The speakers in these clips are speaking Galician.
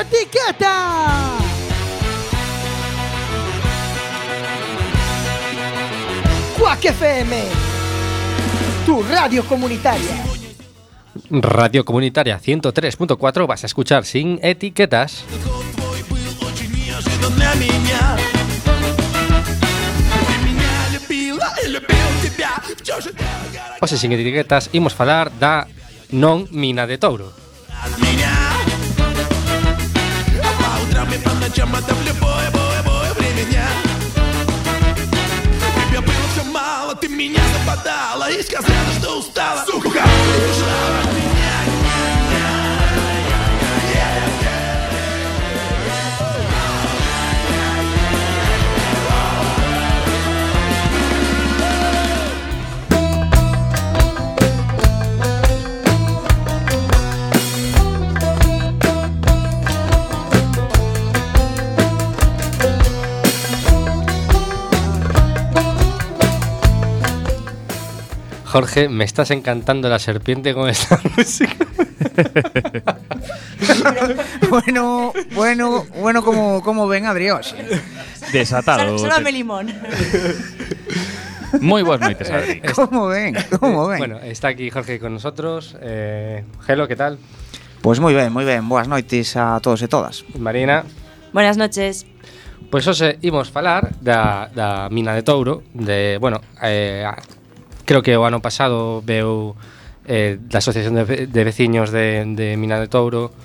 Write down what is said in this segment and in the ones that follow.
etiqueta. Quack FM, tu radio comunitaria. Radio Comunitaria 103.4 vas a escuchar sin etiquetas. Hoxe sin etiquetas imos falar da non mina de Touro. Ты меня западала и сказала, что устала. Сука, ушла от меня. Jorge, me estás encantando la serpiente con esta música. Bueno, como ven Adriós. Desatado. Sálvame limón. Moi boas noites, Adri. Como ven. Bueno, está aquí Jorge con nosotros. Gelo, ¿qué tal? Pois moi ben. Boas noites a todos e todas. Marina. Buenas noches. Pois hoxe imos falar da mina de Touro. Creo que o ano pasado veu da Asociación de Veciños de Mina de Touro.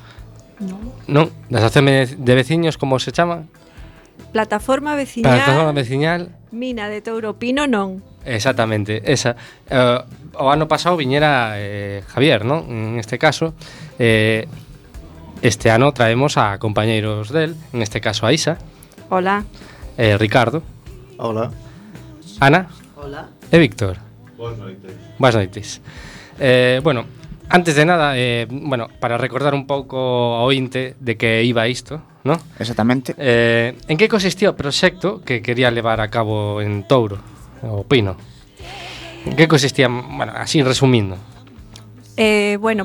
Non, da Asociación de Veciños, como se chama? Plataforma Veciñal. Plataforma Veciñal Mina de Touro Pino non. Exactamente, esa. O ano pasado viñera Javier, non? En este caso, este ano traemos a compañeiros del, en este caso a Isa. Hola. Ricardo. Hola. Ana. Hola. E Víctor. Boas noites. Antes de nada, para recordar un pouco ao ointe de que iba isto, ¿no? Exactamente. En que consistía o proxecto que quería levar a cabo en Touro, o Pino? En que consistía, así resumindo?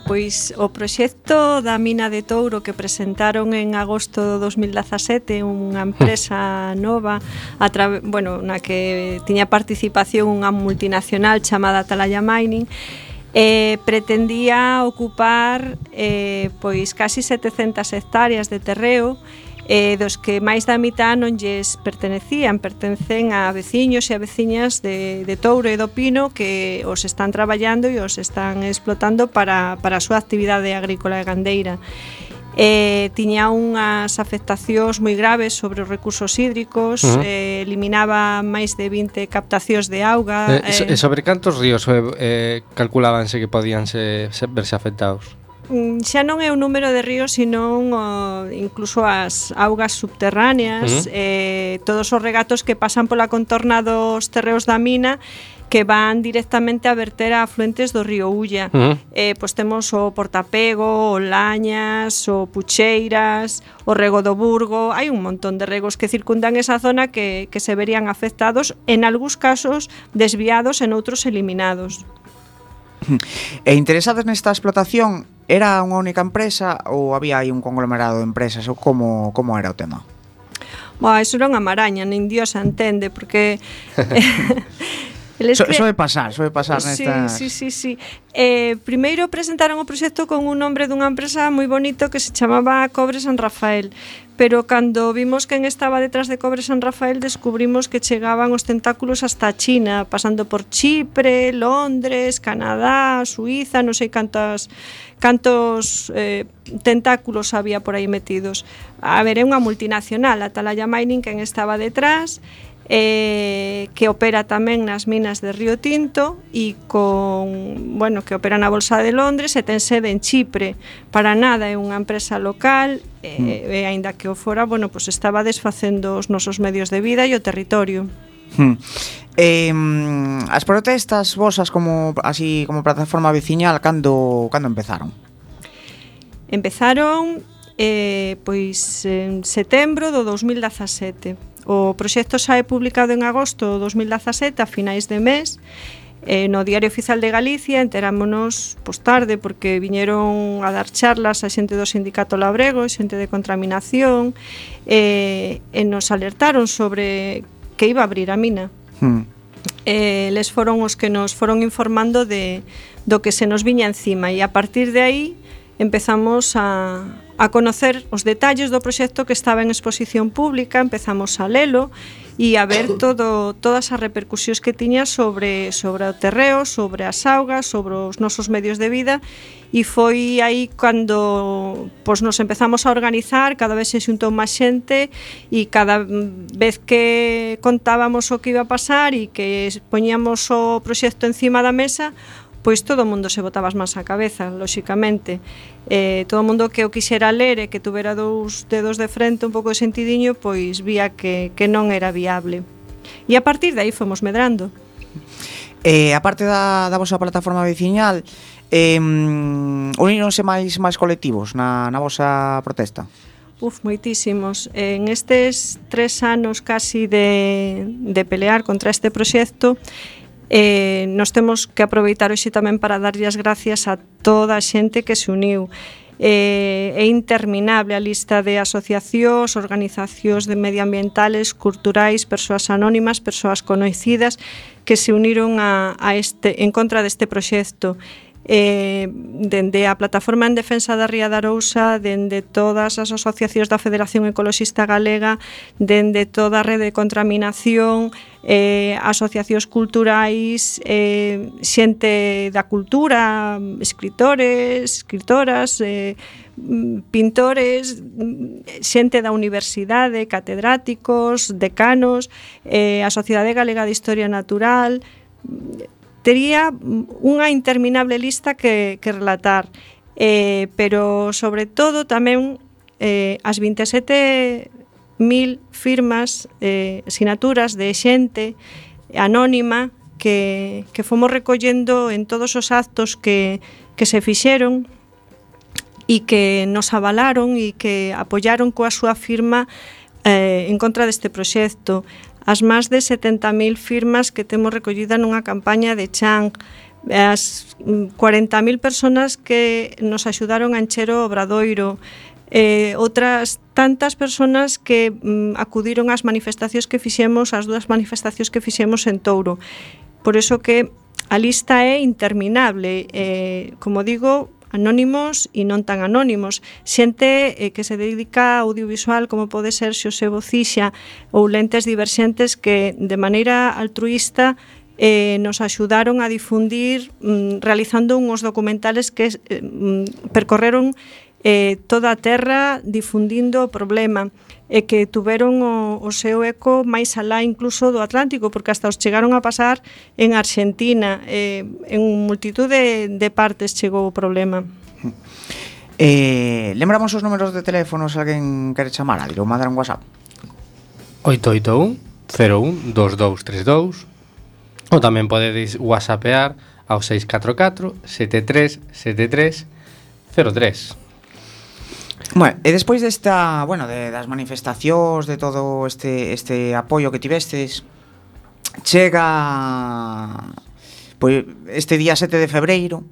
Pois o proxecto da mina de Touro que presentaron en agosto do 2017 unha empresa nova na que tiña participación unha multinacional chamada Atalaya Mining, pretendía ocupar pois casi 700 hectáreas de terreo, dos que máis da mitad non lles pertencen a veciños e a veciñas de Touro e do Pino que os están traballando e os están explotando para a súa actividade agrícola e gandeira. Tiña unhas afectacións moi graves sobre os recursos hídricos, eliminaba máis de 20 captacións de auga. Sobre cantos ríos calculábanse que podían verse afectados? Xa non é o número de ríos, senón incluso as augas subterráneas, todos os regatos que pasan pola contorna dos terreos da mina que van directamente a verter a afluentes do río Ulla. Pois temos o Portapego, o Lañas, o Pucheiras, o Rego do Burgo. Hai un montón de regos que circundan esa zona que se verían afectados, en algúns casos desviados, en outros eliminados. E interesados nesta explotación, era unha única empresa ou había aí un conglomerado de empresas ou como era o tema? Iso era unha maraña, nin Dios a entende, porque Soe pasar nesta... Sí. Primeiro presentaron o proxecto con un nombre dunha empresa moi bonito que se chamaba Cobre San Rafael, pero cando vimos quen estaba detrás de Cobre San Rafael descubrimos que chegaban os tentáculos hasta China, pasando por Chipre, Londres, Canadá, Suiza, non sei cantos tentáculos había por aí metidos. A ver, é unha multinacional, Atalaya Mining, quen estaba detrás, que opera tamén nas minas de Río Tinto e que opera na Bolsa de Londres e ten sede en Chipre. Para nada é unha empresa local, e aínda que o fora, pois estaba desfacendo os nosos medios de vida e o territorio. As protestas vosas como plataforma veciñal cando empezaron? Empezaron pois en setembro do 2017. O proxecto sae publicado en agosto do 2017, a finais de mes, No Diario Oficial de Galicia enterámonos tarde porque viñeron a dar charlas a xente do Sindicato Labrego, xente de contaminación, e nos alertaron sobre que iba a abrir a mina. Les foron os que nos foron informando do que se nos viña encima, e a partir de aí empezamos a conocer os detalles do proxecto que estaba en exposición pública, empezamos a lelo e a ver todas as repercusións que tiña sobre o terreo, sobre as augas, sobre os nosos medios de vida, e foi aí cando nos empezamos a organizar, cada vez se xuntou máis xente, e cada vez que contábamos o que iba a pasar e que poñíamos o proxecto encima da mesa, pois todo o mundo se botaba as mans á cabeza, lóxicamente. Todo o mundo que o quixera ler e que tuvera dous dedos de frente, un pouco de sentidiño, pois vía que non era viable. E a partir de aí fomos medrando. A parte da vosa plataforma veciñal, uníronse máis colectivos na vosa protesta? Moitísimos. En estes 3 anos casi de pelear contra este proxecto, nos temos que aproveitar hoxe tamén para darlle as gracias a toda a xente que se uniu. É interminable a lista de asociacións, organizacións de medioambientales, culturais, persoas anónimas, persoas coñecidas que se uniron en contra deste proxecto. Dende a Plataforma en Defensa da Ría de Arousa, dende todas as asociacións da Federación Ecoloxista Galega, dende toda a rede de contaminación, asociacións culturais, xente da cultura, escritores, escritoras, pintores, xente da universidade, catedráticos, decanos, a Sociedade Galega de Historia Natural. Tería unha interminable lista que relatar, pero sobre todo tamén as 27.000 firmas, sinaturas de xente anónima que fomos recollendo en todos os actos que se fixeron e que nos avalaron e que apoyaron coa súa firma en contra deste proxecto. As máis de 70.000 firmas que temos recollida nunha campaña de Chan, as 40.000 personas que nos axudaron a encher o obradoiro, outras tantas personas que acudiron ás manifestacións que fixemos, as 2 manifestacións que fixemos en Touro. Por iso que a lista é interminable, como digo, anónimos e non tan anónimos, xente que se dedica a audiovisual como pode ser Xosé Bocixa ou Lentes Diverxentes que de maneira altruísta nos axudaron a difundir realizando uns documentales que percorreron toda a terra difundindo o problema e que tuveron o seu eco máis alá incluso do Atlántico, porque hasta os chegaron a pasar en Argentina, en multitud de partes chegou o problema. Lembramos os números de teléfono se alguén quere chamar, ou mandar un WhatsApp. 881 01 2232 ou tamén podedes whatsappear ao 644 73 73 03. Bueno, e despois desta, das manifestacións, de todo este apoio que tivestes, chega pois este día 7 de febreiro,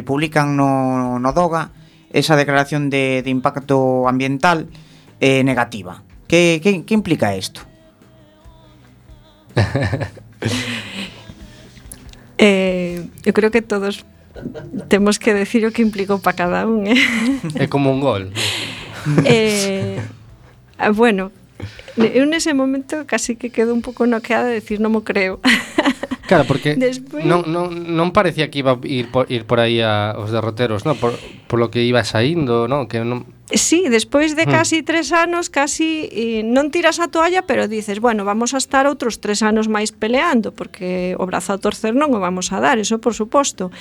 publican no DOGA esa declaración de impacto ambiental negativa. Que implica isto? Eu creo que todos temos que decir o que implicou para cada un, É como un gol. Bueno, eu nese momento casi que quedo un pouco noqueada de decir non mo creo. Claro, porque Despois... non parecía que iba a ir por aí os derroteros, ¿no? Por lo que iba saindo, ¿no? Que non... Sí, despois de casi 3 anos, casi non tiras a toalla, pero dices, bueno, vamos a estar outros 3 anos máis peleando, porque o brazo a torcer non o vamos a dar, eso por suposto.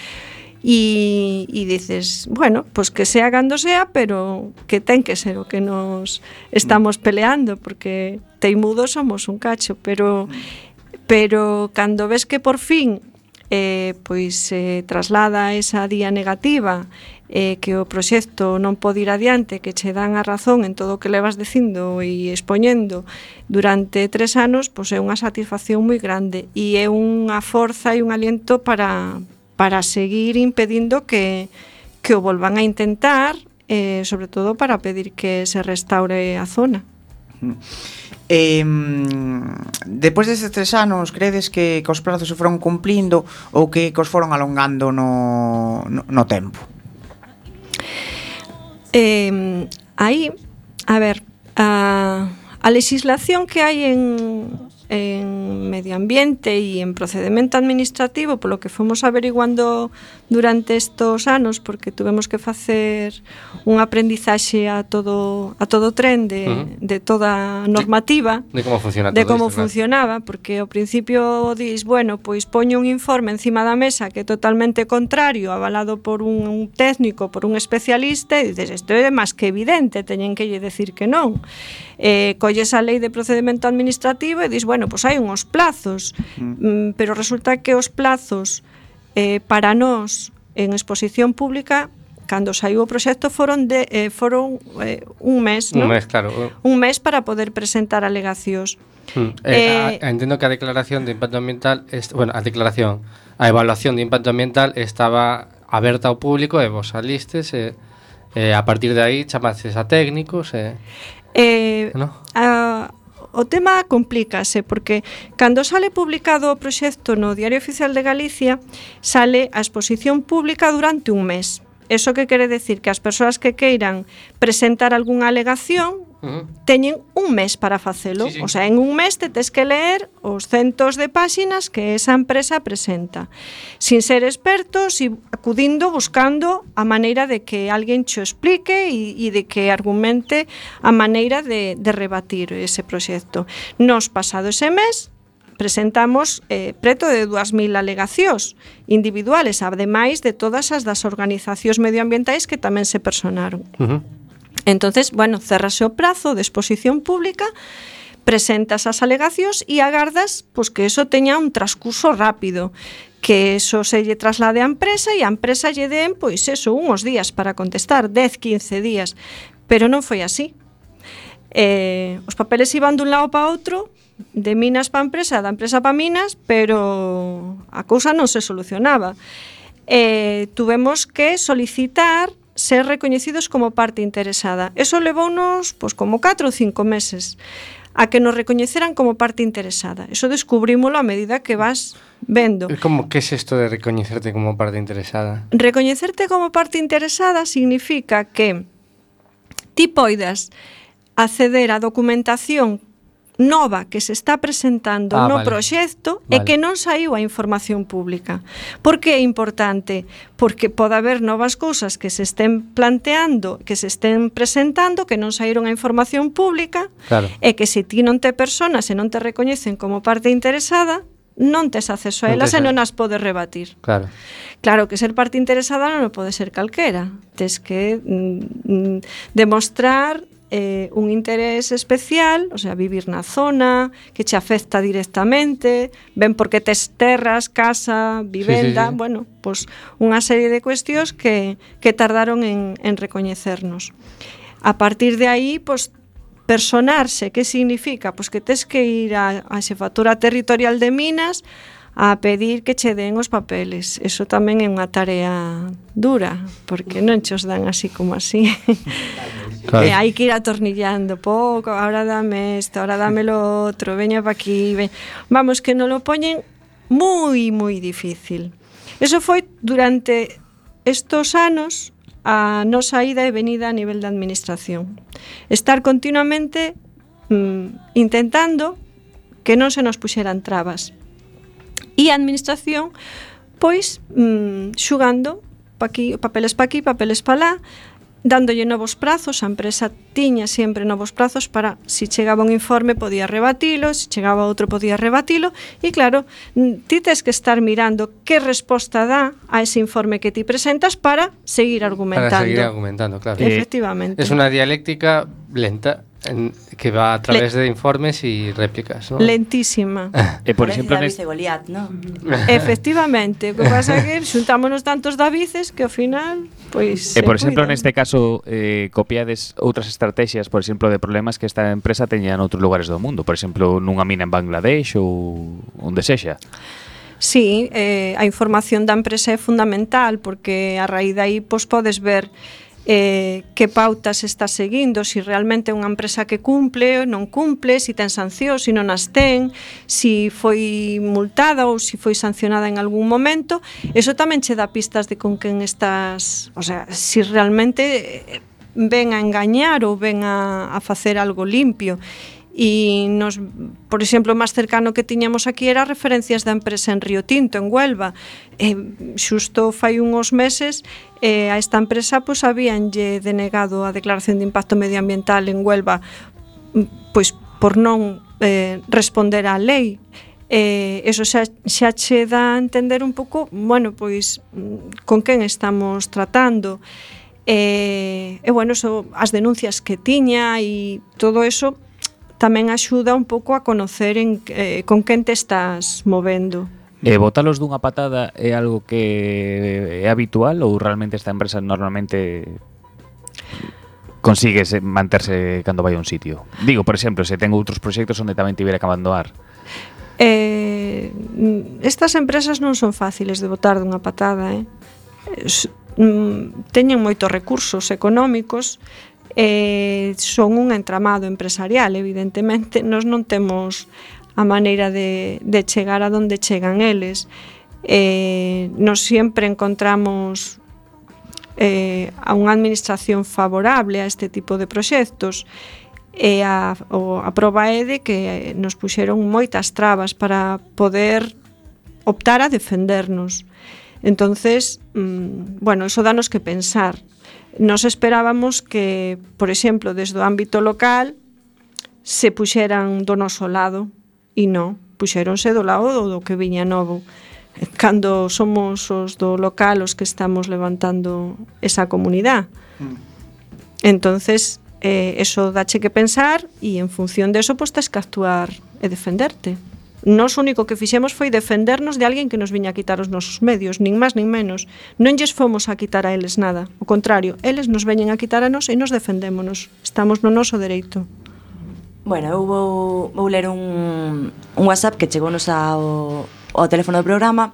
E dices, bueno, pues que sea cando sea, pero que ten que ser o que nos estamos peleando, porque teimudos somos un cacho, pero cando ves que por fin pois traslada esa día negativa, que o proxecto non pode ir adiante, que che dan a razón en todo o que levas dicindo e expoñendo durante 3 anos, pois é unha satisfacción moi grande e é unha forza e un aliento para seguir impedindo que o volvan a intentar, sobre todo para pedir que se restaure a zona. Depois destes 3 anos, credes que os prazos se foron cumplindo ou que os foron alongando no tempo? Aí, a ver, a legislación que hai en medio ambiente e en procedimento administrativo, polo que fomos averiguando durante estos anos, porque tuvemos que facer un aprendizaxe a todo tren de toda a normativa, de como funciona de todo como isto, funcionaba, porque ao principio dis, bueno, pois poño un informe encima da mesa que é totalmente contrario, avalado por un técnico, por un especialista, e dices, isto é máis que evidente, teñen que lle decir que non. Colles a lei de procedimento administrativo e dis, bueno, pois hai unhos plazos, pero resulta que os plazos para nós en exposición pública, cando saiu o proxecto, foron un mes, non? Un mes, claro. Un mes para poder presentar alegacións. Entendo que a declaración de impacto ambiental, a evaluación de impacto ambiental estaba aberta ao público e vos salistes a partir de aí chamaches a técnicos ¿no? O tema complícase porque cando sale publicado o proxecto no Diario Oficial de Galicia, sale a exposición pública durante un mes. Eso que quere decir que as persoas que queiran presentar algunha alegación teñen un mes para facelo. Sí. O sea, en un mes te tes que ler os centos de páxinas que esa empresa presenta, sin ser expertos e acudindo, buscando a maneira de que alguén cho explique e de que argumente a maneira de rebatir ese proxecto. Nos pasado ese mes presentamos preto de 2.000 alegacións individuales, ademais de todas as das organizacións medioambientais que tamén se personaron. Entonces, bueno, cerrase o prazo de exposición pública, presentas as alegacións e agardas pois, que eso teña un transcurso rápido, que eso se lle traslade á empresa e a empresa lle den, pois eso, uns días para contestar, 10-15 días, pero non foi así. Os papeles iban dun lado para outro, de Minas para a empresa, da empresa para Minas, pero a cousa non se solucionaba. Tuvemos que solicitar ser recoñecidos como parte interesada. Eso levounos pois, como 4 ou 5 meses a que nos recoñeceran como parte interesada. Eso descubrímolo a medida que vas vendo. Como que é isto de recoñecerte como parte interesada? Recoñecerte como parte interesada significa que ti poidas acceder á documentación nova que se está presentando no proxecto e que non saiu a información pública. Por que é importante? Porque pode haber novas cousas que se estén planteando, que se estén presentando, que non saíron a información pública, e que se ti non te personas e non te recoñecen como parte interesada, non tes acceso a elas e non as podes rebatir. Claro que ser parte interesada non pode ser calquera. Tes que demostrar un interés especial, o sea, vivir na zona, que che afecta directamente, ben porque tes terras, casa, vivenda, bueno, pois unha serie de cuestións que tardaron en recoñecernos. A partir de aí, pois, personarse, que significa? Pois que tes que ir á Xefatura Territorial de Minas a pedir que che den os papeles. Eso tamén é unha tarea dura, porque non che os dan así como así. Hai que ir atornillando pouco, ahora dame isto, ahora dame lo outro, veña pa aquí, vamos, que non lo poñen moi, moi difícil. Eso foi durante estos anos a nosa ida e venida a nivel da administración. Estar continuamente intentando que non se nos puxeran trabas. E a administración, pois, xugando pa aquí, papeles pa aquí, papeles pa lá, dándolle novos prazos. A empresa tiña sempre novos prazos para, si chegaba un informe, podía rebatilo, si chegaba outro, podía rebatilo, e claro, ti tes que estar mirando que resposta dá a ese informe que ti presentas para seguir argumentando. Para seguir argumentando, claro. Efectivamente. Es unha dialéctica lenta que va a través de informes y réplicas, ¿no? Lentísima. Por Parece exemplo, David e Goliat, ¿no? Efectivamente, o que pasa é que xuntámonos tantos Davices que ao final, pois por exemplo, cuidan. neste caso, copiades outras estrategias, por exemplo, de problemas que esta empresa teña en outros lugares do mundo, por exemplo, nunha mina en Bangladesh ou onde sexa. Sí, a información da empresa é fundamental porque a raíz de aí pois, podes ver que pautas está seguindo, se realmente é unha empresa que cumple ou non cumple, se ten sancións, se non as ten, se foi multada ou se foi sancionada en algún momento. Eso tamén che dá pistas de con quen estás, o sea, se realmente ven a engañar ou ven a facer algo limpio. E nos, por exemplo, o máis cercano que tiñamos aquí era referencias da empresa en Río Tinto, en Huelva. Xusto fai uns meses a esta empresa pois habíanlle denegado a declaración de impacto medioambiental en Huelva pois por non responder á lei. Eso xa che dá a entender un pouco, bueno, pois con quen estamos tratando. Bueno, eso, as denuncias que tiña e todo eso tamén axuda un pouco a conocer con quen te estás movendo. Botalos dunha patada é algo que é habitual ou realmente esta empresa normalmente consigue manterse cando vai a un sitio? Digo, por exemplo, se ten outros proxectos onde tamén tivera que abandonar. Estas empresas non son fáciles de botar dunha patada, teñen moitos recursos económicos, son un entramado empresarial, evidentemente nós non temos a maneira de chegar a donde chegan eles. Nos sempre encontramos a unha administración favorable a este tipo de proxectos e a proba é de que nos puxeron moitas trabas para poder optar a defendernos. Entonces, bueno, eso danos que pensar. Nos esperábamos que, por exemplo, desde o ámbito local se puxeran do noso lado e non, puxéronse do lado do que viña novo. Cando somos os do local os que estamos levantando esa comunidade. Entonces, eso dache que pensar e en función de eso, pois tes que actuar e defenderte. Nos único que fixemos foi defendernos de alguén que nos viña a quitar os nosos medios, nin máis nin menos. Non lles fomos a quitar a eles nada. O contrario, eles nos veñen a quitar a nos e nos defendémonos. Estamos no noso dereito. Bueno, eu vou ler un WhatsApp que chegounos ao teléfono do programa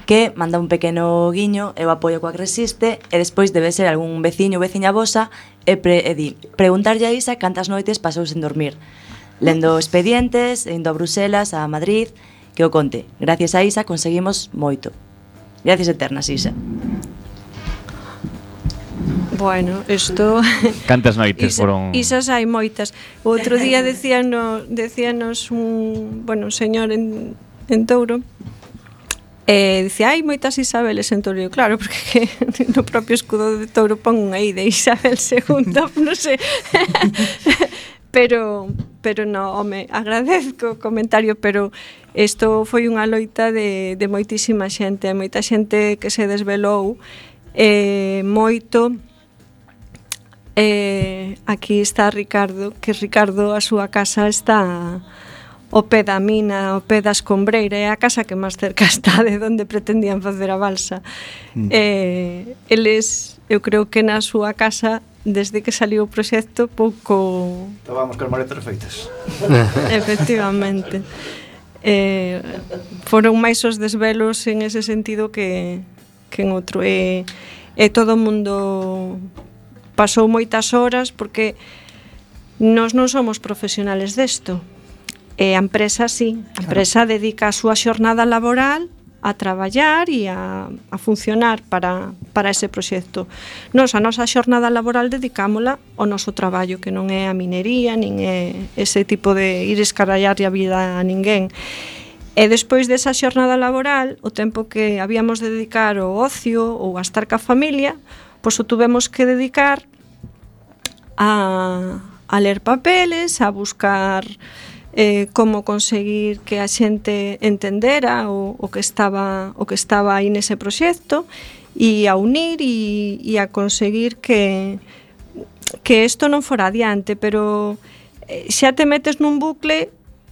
que manda un pequeno guiño, eu apoio coa que resiste e despois debe ser algún veciño ou veciña vosa e di, preguntarlle a Isa cantas noites pasou sen dormir. Lendo expedientes, indo a Bruselas, a Madrid, que o conte. Gracias a Isa conseguimos moito. Gracias eternas, Isa. Bueno, isto... Cantas noites foron... Isas hai moitas. O outro día decíanos un señor en Touro, dicía, hai moitas Isabeles en Touro. Claro, porque no propio escudo de Touro pon unha I de Isabel II, non sei... Pero no, home, agradezco o comentario, pero isto foi unha loita de moitísima xente, moita xente que se desvelou moito. Aquí está Ricardo, que Ricardo a súa casa está ao pé da mina, ao pé da escombreira, é a casa que máis cerca está de onde pretendían facer a balsa. Eles, eu creo que na súa casa, desde que saliu o proxecto, pouco... Estábamos con maletas feitas. Efectivamente. Foron máis os desvelos en ese sentido que en outro. E todo o mundo pasou moitas horas porque nós non somos profesionales desto. E a empresa sí, a empresa dedica a súa xornada laboral a traballar e a funcionar para ese proxecto. Nos, a nosa xornada laboral dedicámola ao noso traballo, que non é a minería, nin é ese tipo de ir escarallar a vida a ninguén. E despois desa xornada laboral, o tempo que habíamos de dedicar ao ocio ou a estar ca familia, pois o tuvemos que dedicar a ler papeles, a buscar como conseguir que a xente entendera o que estaba aí nese proxecto e a unir e a conseguir que isto non fora adiante, pero xa te metes nun bucle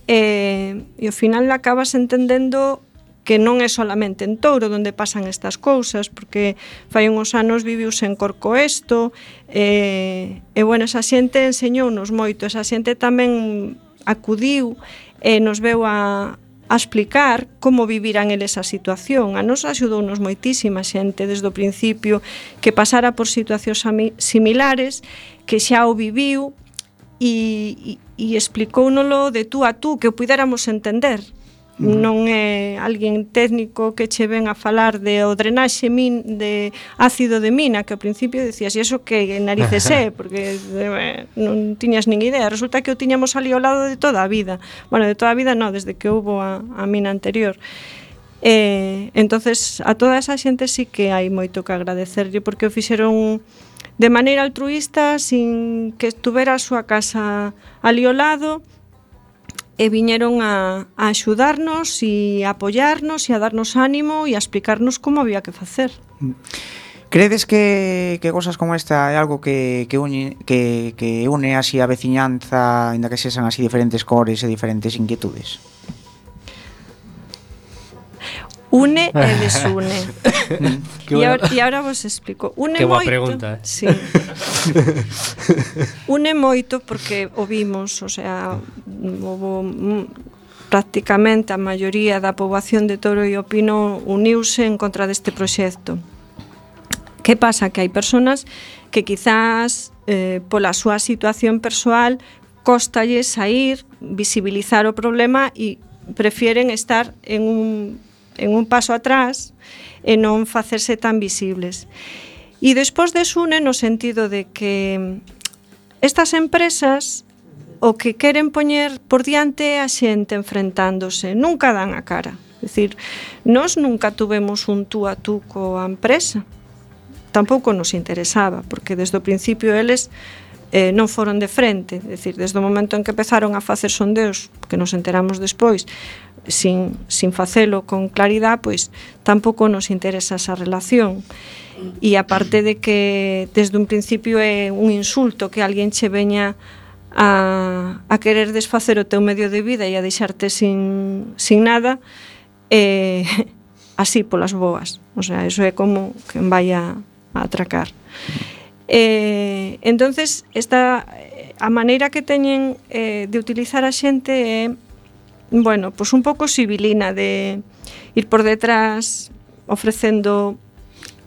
e ao final acabas entendendo que non é solamente en Touro onde pasan estas cousas, porque fai uns anos viviuse en Corcoesto, e bueno, esa xente enseñounos moito, esa xente tamén acudiu e nos veu a explicar como viviran eles a situación. A nos axudounos moitísima xente desde o principio que pasara por situacións similares, que xa o viviu e explicóunolo de tú a tú, que o puidéramos entender. Non é alguén técnico que che ven a falar de o drenaxe de ácido de mina, que ao principio decías, e iso que narices é, porque non tiñas nin idea. Resulta que o tiñamos ali ao lado de toda a vida. Bueno, de toda a vida non, desde que houbo a mina anterior. Entonces, a toda esa xente sí que hai moito que agradecerlle, porque o fixeron de maneira altruísta, sin que estuvera a súa casa ali ao lado, e viñeron a axudarnos e a apoiarnos e a darnos ánimo e a explicarnos como había que facer. Credes que cosas como esta é algo que une así a veciñanza, ainda que sexan así diferentes cores e diferentes inquietudes? Une e desune. E agora vos explico. Une que boa moito, pregunta. Sí. Une moito porque o vimos, o sea, prácticamente a maioría da poboación de Touro e o Pino uniuse en contra deste proxecto. Que pasa? Que hai persoas que quizás pola súa situación persoal cóstalle sair, visibilizar o problema e prefieren estar en un paso atrás e non facerse tan visibles. E despois desune no sentido de que estas empresas o que queren poñer por diante a xente enfrentándose, nunca dan a cara. É dicir, nós nunca tuvemos un tú a tú coa empresa, tampouco nos interesaba, porque desde o principio eles non foron de frente, é dicir, desde o momento en que empezaron a facer sondeos, que nos enteramos despois, sin facelo con claridade, pois tampouco nos interesa esa relación. E aparte de que desde un principio é un insulto que alguén che veña a querer desfacer o teu medio de vida e a deixarte sin nada, así polas boas. O sea, eso é como que vai a atracar. Entonces, a maneira que teñen de utilizar a xente é, bueno, pues un pouco civilina, de ir por detrás ofrecendo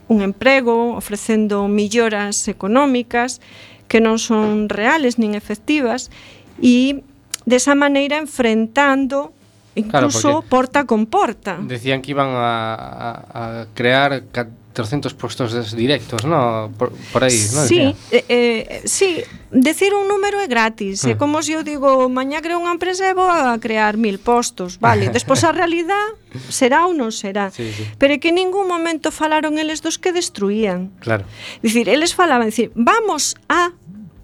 un emprego, ofrecendo melloras económicas que non son reales nin efectivas, e desa maneira enfrentando incluso claro, porta con porta. Decían que iban a crear 300 puestos directos, ¿no? Por aí, ¿no? Sí, sí, decir un número é gratis. É como se eu digo, mañá creo unha empresa e vou a crear 1000 postos, vale? Despois a realidade será ou non será. Sí. Pero é que en ningún momento falaron eles dos que destruían. Claro. Dicir, eles falaban, vamos a,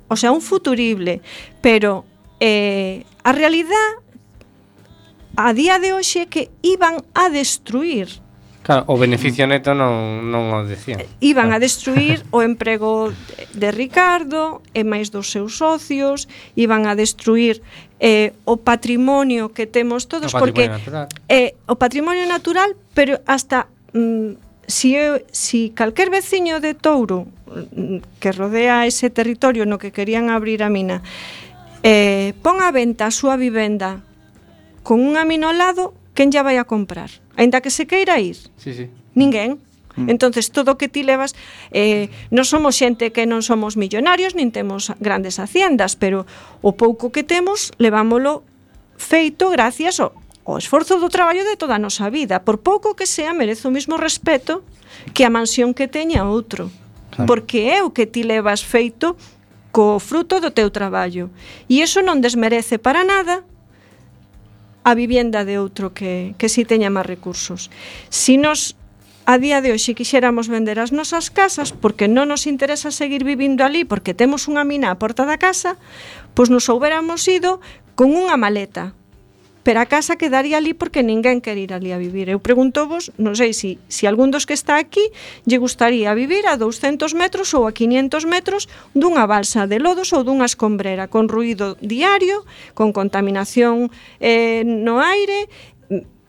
o sea, un futurible, pero a realidade a día de hoxe é que iban a destruir. Claro, o beneficio neto non o decían. Iban a destruir o emprego de Ricardo e máis dos seus socios, iban a destruir o patrimonio que temos todos, porque o patrimonio natural, pero hasta si calquer veciño de Touro que rodea ese territorio no que querían abrir a mina pon a venta a súa vivenda con un amino ao lado, quen ya vai a comprar? Ainda que se queira ir? Sí. Ninguén. Entonces, todo o que ti levas, non somos xente que non somos millonarios, nin temos grandes haciendas, pero o pouco que temos, levámolo feito gracias ao esforzo do traballo de toda a nosa vida. Por pouco que sea, merece o mesmo respeto que a mansión que teña outro. Claro. Porque é o que ti levas feito co fruto do teu traballo. E iso non desmerece para nada a vivienda de outro que si teña máis recursos. Si nos a día de hoxe quixéramos vender as nosas casas porque non nos interesa seguir vivindo ali porque temos unha mina á porta da casa, pois nos houbéramos ido con unha maleta. pero a casa quedaría ali porque ninguén quere ir ali a vivir. Eu preguntovos, non sei se algún dos que está aquí lle gustaría vivir a 200 metros ou a 500 metros dunha balsa de lodos ou dunha escombrera, con ruído diario, con contaminación no aire.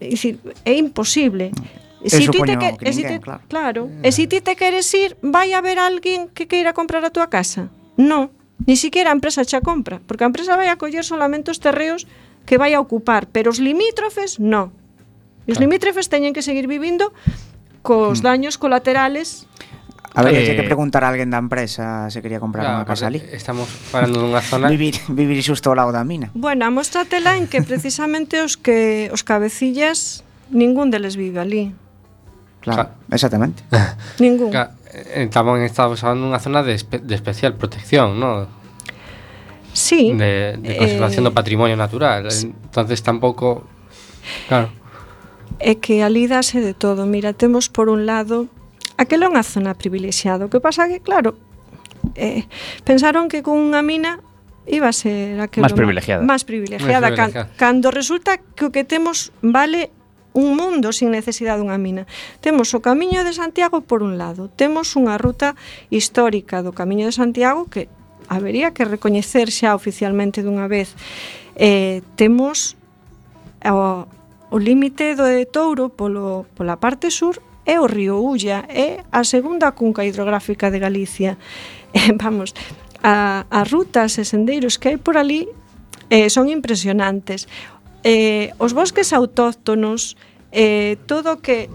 É imposible. Eso poño que ninguén, claro. Claro. E se ti te queres ir, vai haber alguén que queira comprar a túa casa? Non. Ni siquiera a empresa xa compra, porque a empresa vai a coller solamente os terreos que vai a ocupar, pero os limítrofes, non. E os limítrofes teñen que seguir vivindo cos daños colaterales. A ver, hai que preguntar a alguén da empresa se quería comprar unha casa ali. Estamos falando dunha zona... Vivir xusto ao lado da mina. Bueno, amóstratela en que precisamente os cabecillas, ningún deles vive ali. Claro, exactamente. Ningún. Tamén estamos falando dunha zona de especial protección, non? Sí. De conservación do patrimonio natural. Entonces tampouco... Claro. É que ali dase de todo. Mira, temos por un lado... Aquela é unha zona privilexiada. O que pasa que, claro, pensaron que con unha mina iba a ser aquilo máis privilegiada. Cando resulta que o que temos vale un mundo sin necesidade dunha mina. Temos o Camiño de Santiago por un lado. Temos unha ruta histórica do Camiño de Santiago que habería que recoñecer xa oficialmente dunha vez. Temos o límite do de Touro pola parte sur é o río Ulla, é a segunda cunca hidrográfica de Galicia. Vamos, as rutas e sendeiros que hai por ali son impresionantes. Os bosques autóctonos, todo que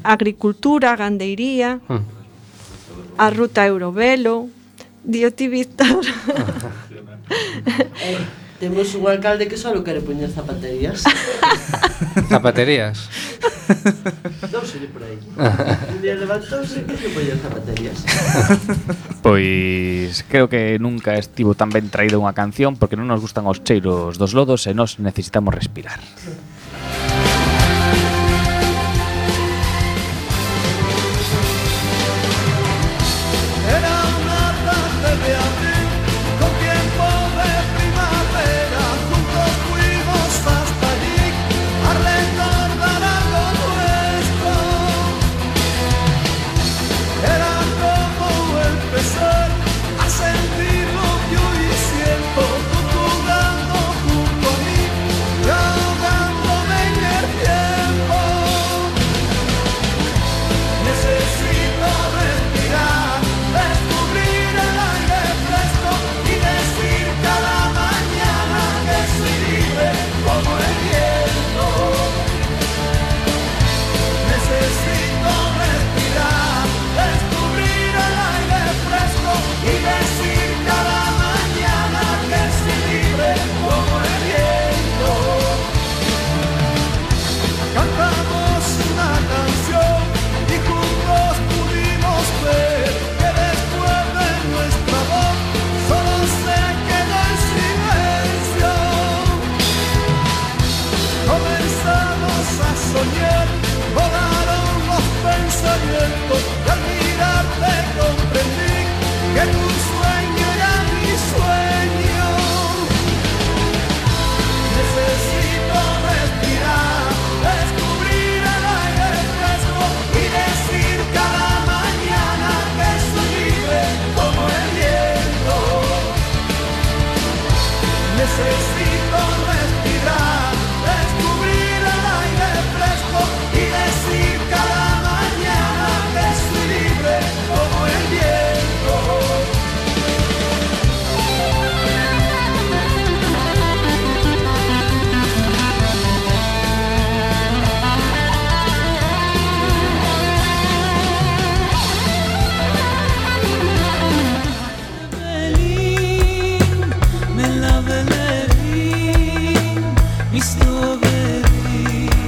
agricultura, gandeiría, a ruta Eurovelo, Dioti Víctor. Temos un alcalde que só quere poñer zapaterías. Zapaterías? Non sei por aí. Un día levantouse que se poñer zapaterías. Pois creo que nunca estivo tan ben traída unha canción porque non nos gustan os cheiros dos lodos e nós necesitamos respirar.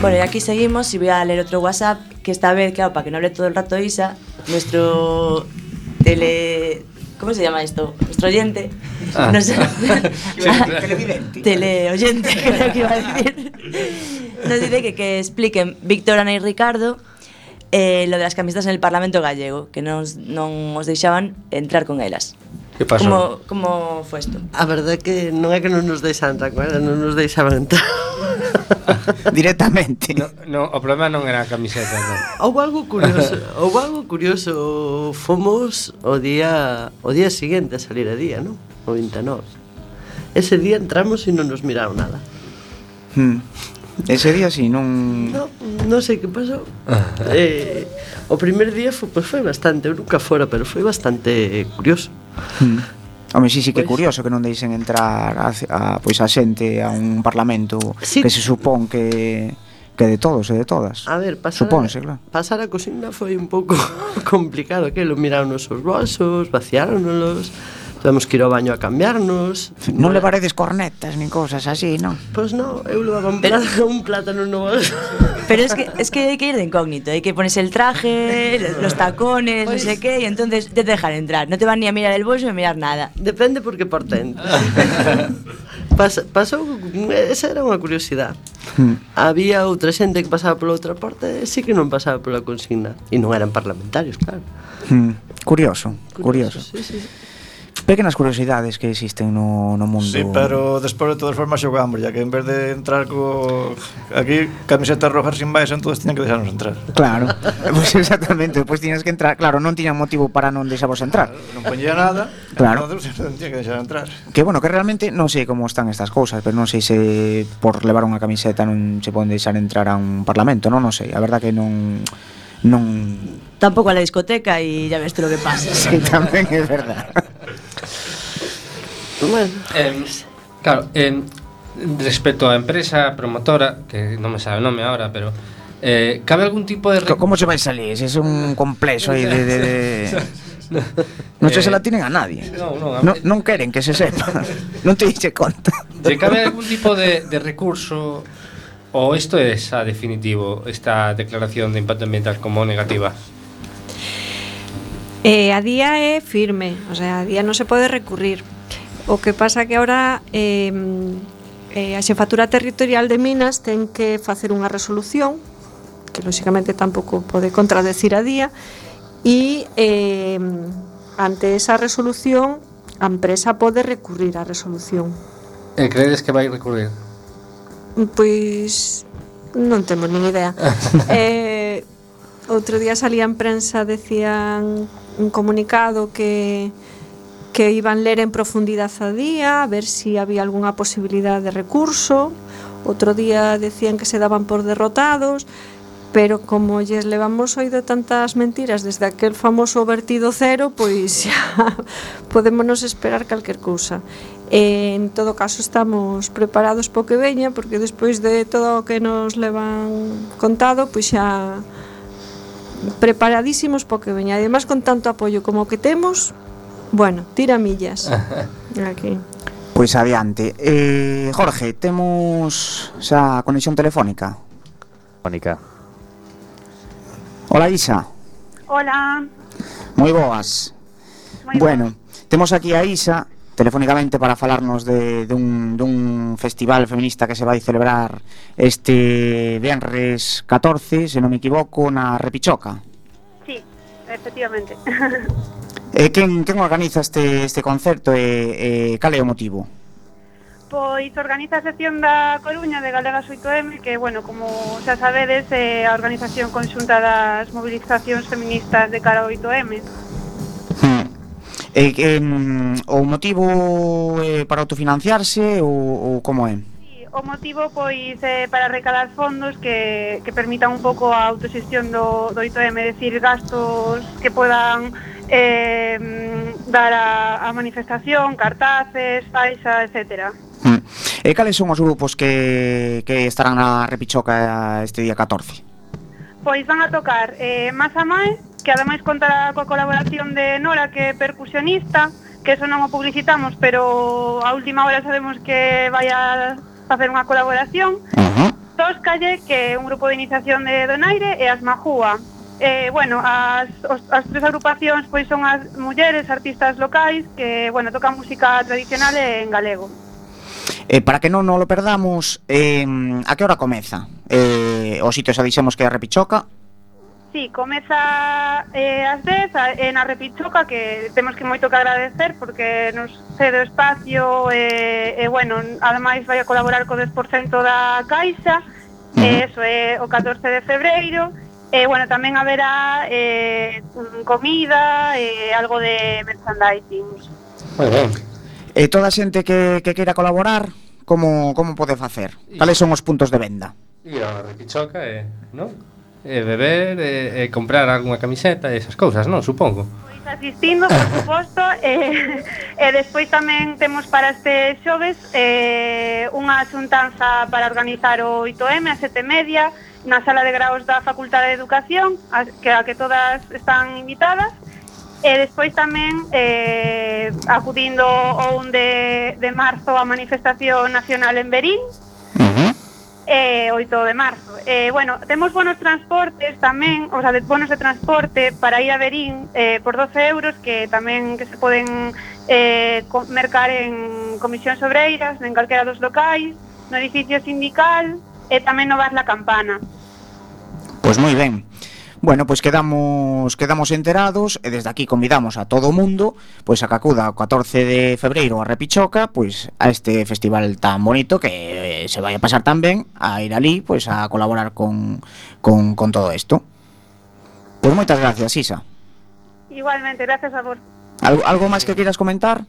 Bueno, y aquí seguimos y voy a leer otro WhatsApp, que esta vez, claro, para que no hable todo el rato Isa, nuestro ¿cómo se llama esto? Nuestro oyente. No sé. Teleoyente, creo que iba a decir. Nos dice que expliquen Víctor, Ana y Ricardo lo de las camisetas en el Parlamento gallego, que non os deixaban entrar con elas. Que pasou? Como foi isto? A verdade é que non é que non nos deixaban entrar con ela, non nos deixaban entrar. Directamente. No, o problema non era a camiseta, non. Houve algo curioso, fomos o día seguinte a salir a día, non? O 29. Ese día entramos e non nos miraron nada. Ese día sí, non... Non sei que pasou. O primer día foi bastante, eu nunca fora, pero foi bastante curioso. Home, sí que é curioso que non deixen entrar a xente a un parlamento que se supón que de todos e de todas. A ver, supónse, claro. Pasar a cocina foi un pouco complicado, que lo miraron os seus bolsos, vaciáronnos, temos que ir ao baño a cambiarnos. Non levaredes cornetas nin cosas así, non? Pois non, eu levaba un plátano no bolso. Pero es que hay que ir de incógnito, hay que ponerse el traje, los tacones, no sé qué, y entonces te dejan entrar. No te van ni a mirar el bolso ni a mirar nada. Depende porque por dentro. Pasou, esa era unha curiosidade. Había outra xente que pasaba pola outra porta e sí que non pasaba pola consigna. E non eran parlamentarios, claro. Curioso. Sí. Pequenas curiosidades que existen no mundo. Sí, pero despois de todas formas xogamos, ya que en vez de entrar aquí camisetas rojas sin máis, entonces tiñan que deixarnos entrar. Claro, pues exactamente, pues tiñas que entrar. Claro, non tiñan motivo para non deixarvos entrar. Non poñía nada, claro. Entonces tiñan que deixar entrar. Que bueno, que realmente non sei como están estas cousas, pero non sei se por levar unha camiseta non se poden deixar entrar a un parlamento, non sei, a verdad que non Tampoco a la discoteca y ya ves tú lo que pasa. Sí, tamén é verdad. Bueno, claro, respecto á empresa promotora, que non me sabe o nome ahora, pero cabe algún tipo de... ¿Cómo se vai salir? Es un complexo aí de... Non se la tienen a nadie. Non queren que se sepa. Non te dixe conta. ¿Cabe algún tipo de recurso o esto es a definitivo, esta declaración de impacto ambiental como negativa? A día é firme, o sea, a día non se pode recurrir. O que pasa que ahora a Xefatura Territorial de Minas ten que facer unha resolución que lóxicamente tampouco pode contradecir a día e ante esa resolución a empresa pode recurrir á resolución. Credes que vai recurrir? Pois non temos nin idea. Outro día salía en prensa, decían un comunicado que iban ler en profundidade a día, a ver si había algunha posibilidade de recurso. Outro día decían que se daban por derrotados, pero como lles levamos oído tantas mentiras desde aquel famoso vertido cero, pois xa podémonos esperar calquer cousa. En todo caso estamos preparados po que veña, porque despois de todo o que nos levan contado, pois xa preparadísimos po que veña. Ademais, con tanto apoio como que temos, bueno, tira millas. Aquí. Pois adiante. Jorge, temos xa conexión telefónica. Hola, Isa. Hola. Moi boas. Bueno, temos aquí a Isa telefónicamente para falarnos dun festival feminista que se vai celebrar este venres 14, se non me equivoco, na Repichoca. Sí, efectivamente. Quen organiza este concerto e cal é o motivo? Pois organiza a sección da Coruña de Galegas 8M, que, bueno, como xa sabedes, é a organización conxunta das movilizacións feministas de cara ao 8M. O motivo é para autofinanciarse ou como é? Sí, o motivo pois é para recalar fondos que permitan un pouco a autoxestión do 8M, é dicir, gastos que podan dar a manifestación, cartaces, faixa, etcétera. E cales son os grupos que estarán na Repichoca este día 14? Pois van a tocar Masa Mae, que ademais contará coa colaboración de Nora, que é percusionista, que eso non o publicitamos, pero a última hora sabemos que vai a facer unha colaboración. Tóscalle, que é un grupo de iniciación de Donaire, e as Majúa. Bueno, as tres agrupacións pois son as mulleres artistas locais que, bueno, tocan música tradicional en galego. Para que non lo perdamos, a que hora comeza? O sitio xa dixemos que é a Repichoca. Sí, comeza ás 10 na Repichoca, que temos que moito que agradecer porque nos cede o espacio e bueno, ademais vai a colaborar co 10% da Caixa. Eso é o 14 de febreiro. E bueno, tamén haberá comida e algo de merchandising. Moi ben. E toda a xente que queira colaborar, como pode facer? Cales son os puntos de venda? Ir a Repichoca non? Beber e comprar algunha camiseta e esas cousas, non? Supongo. Pois asistindo, por suposto, e despois tamén temos para este xoves unha xuntanza para organizar o 8M a 7:30 na sala de graos da Facultade de Educación, a que todas están invitadas. E despois tamén acudindo o 1 de marzo a manifestación nacional en Verín. 8 de marzo. Bueno, temos bonos transportes tamén, o sea, bonos de transporte para ir a Verín por 12 euros que tamén que se poden mercar en comisións obreiras, en calquera dos locais, no edificio sindical e tamén no Bar La Campana. Pois moi ben. Bueno, pois quedamos enterados e desde aquí convidamos a todo o mundo pois a que acuda o 14 de febreiro a Repichoca, pois a este festival tan bonito que se vai a pasar tan ben, a ir ali pois a colaborar con todo isto. Pois moitas gracias, Isa. Igualmente, gracias a vos. Algo máis que queiras comentar?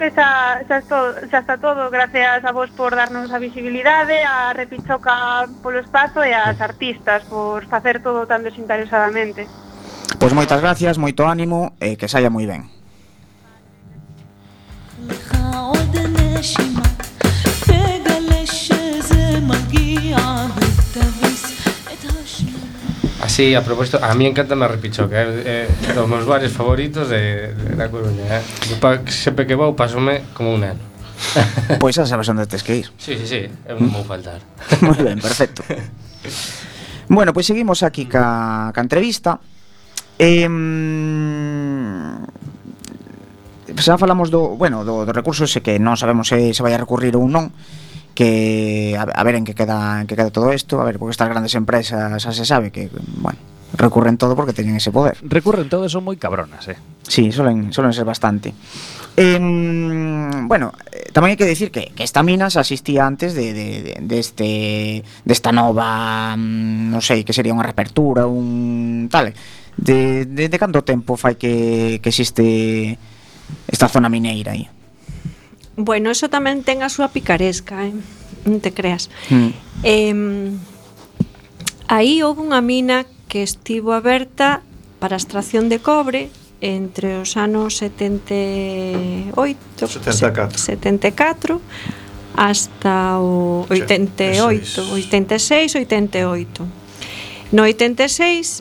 Que xa está todo, gracias a vos por darnos a visibilidade, a Repichoca polo espazo e ás artistas por facer todo tan desinteresadamente. Pois moitas gracias, moito ánimo e que saia moi ben. Así, a propósito, a mí encantame a Repichoca, é dos meus bares favoritos da Coruña, sempre que vou pasome como un neno. Pois xa sabes onde tes que ir. Sí, eu non vou faltar. Moi ben, perfecto. Bueno, pois seguimos aquí ca entrevista. Xa falamos do recurso ese que non sabemos se vai a recurrir ou non, que a ver en que queda todo isto, a ver, porque estas grandes empresas xa se sabe que, bueno, recurren todo porque teñen ese poder. Recurren todo, son moi cabronas, Sí, suelen ser bastante. Bueno, tamén hai que decir que esta mina xa existía antes desta nova, non sei, que sería unha reapertura, un tal. De canto tempo fai que existe esta zona mineira aí? Bueno, eso tamén ten a súa picaresca, non te creas. Aí houve unha mina que estivo aberta para a extracción de cobre entre os anos 74 hasta o 88, 86, 88. No 86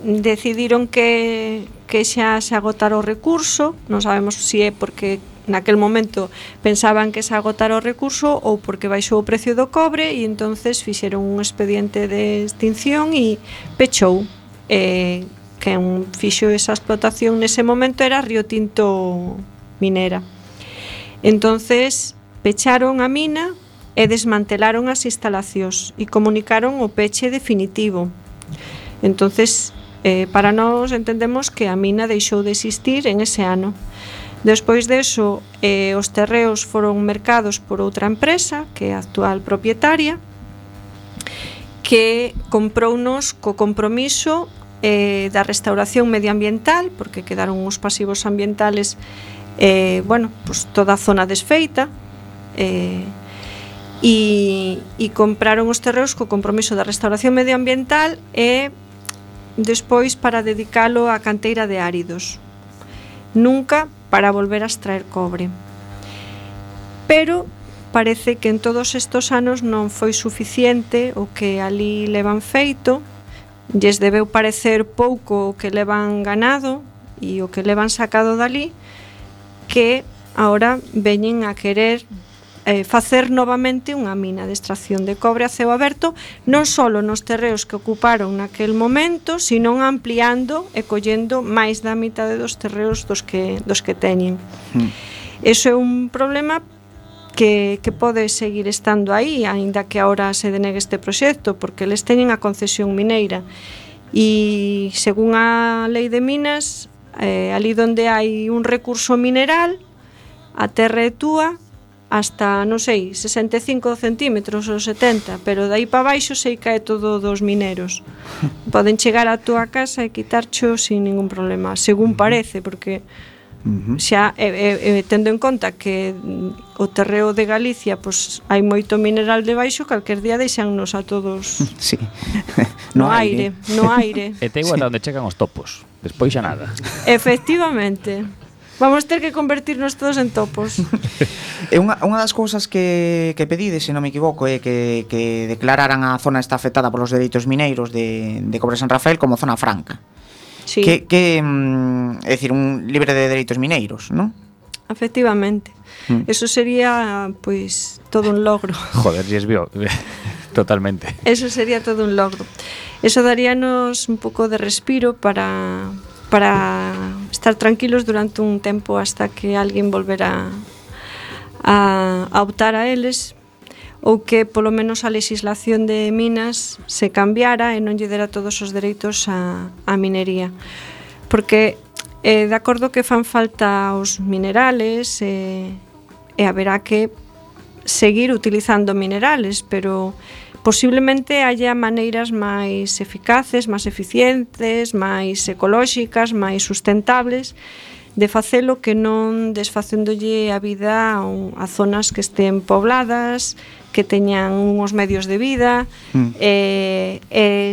decidiron que xa se agotara o recurso, non sabemos se é porque naquel momento pensaban que se agotara o recurso ou porque baixou o precio do cobre e entonces fixeron un expediente de extinción e pechou. Quen fixo esa explotación nese momento era Río Tinto Minera. Entonces pecharon a mina e desmantelaron as instalacións e comunicaron o peche definitivo. Entonces para nós entendemos que a mina deixou de existir en ese ano. Despois deso, os terreos foron mercados por outra empresa, que é a actual propietaria, que comprounos co compromiso da restauración medioambiental, porque quedaron os pasivos ambientales, pues toda a zona desfeita, e compraron os terreos co compromiso da restauración medioambiental e despois para dedicalo á canteira de áridos. Nunca para volver a extraer cobre. Pero parece que en todos estos anos non foi suficiente o que ali levan feito, lles debeu parecer pouco o que levan ganado e o que levan sacado dali, que agora veñen a querer facer novamente unha mina de extracción de cobre a ceo aberto, non só nos terreos que ocuparon naquel momento, sino ampliando e collendo máis da mitad dos terreos dos que teñen. Eso é un problema que pode seguir estando aí, aínda que agora se denegue este proxecto, porque eles teñen a concesión mineira. E según a lei de minas, ali onde hai un recurso mineral, a terra é túa hasta, non sei, 65 centímetros ou 70, pero dai para baixo sei que é todo dos mineros. Poden chegar á túa casa e quitarcho sin ningún problema, según parece, porque xa tendo en conta que o terreo de Galicia pois hai moito mineral debaixo, calquer día deixannos a todos sí. no aire. E te igual onde chegan os topos, despois xa nada. Efectivamente. Vamos ter que convertirnos todos en topos. Unha das cousas que pedides, se non me equivoco, é que declararan a zona esta afectada polos dereitos mineiros de Cobre San Rafael como zona franca. Sí. É dicir, un libre de dereitos mineiros, non? Efectivamente. Eso sería, pois, todo un logro. Joder, si es bio. Totalmente. Eso sería todo un logro. Eso daríanos un pouco de respiro para estar tranquilos durante un tempo hasta que alguén volvera a optar a eles, ou que polo menos a legislación de minas se cambiara e non lle dera todos os dereitos a minería, porque de acordo que fan falta os minerales e haberá que seguir utilizando minerales, pero posiblemente haya maneiras máis eficaces, máis eficientes, máis ecolóxicas, máis sustentables de facelo, que non desfacéndolle a vida a zonas que estén pobladas, que teñan uns medios de vida, e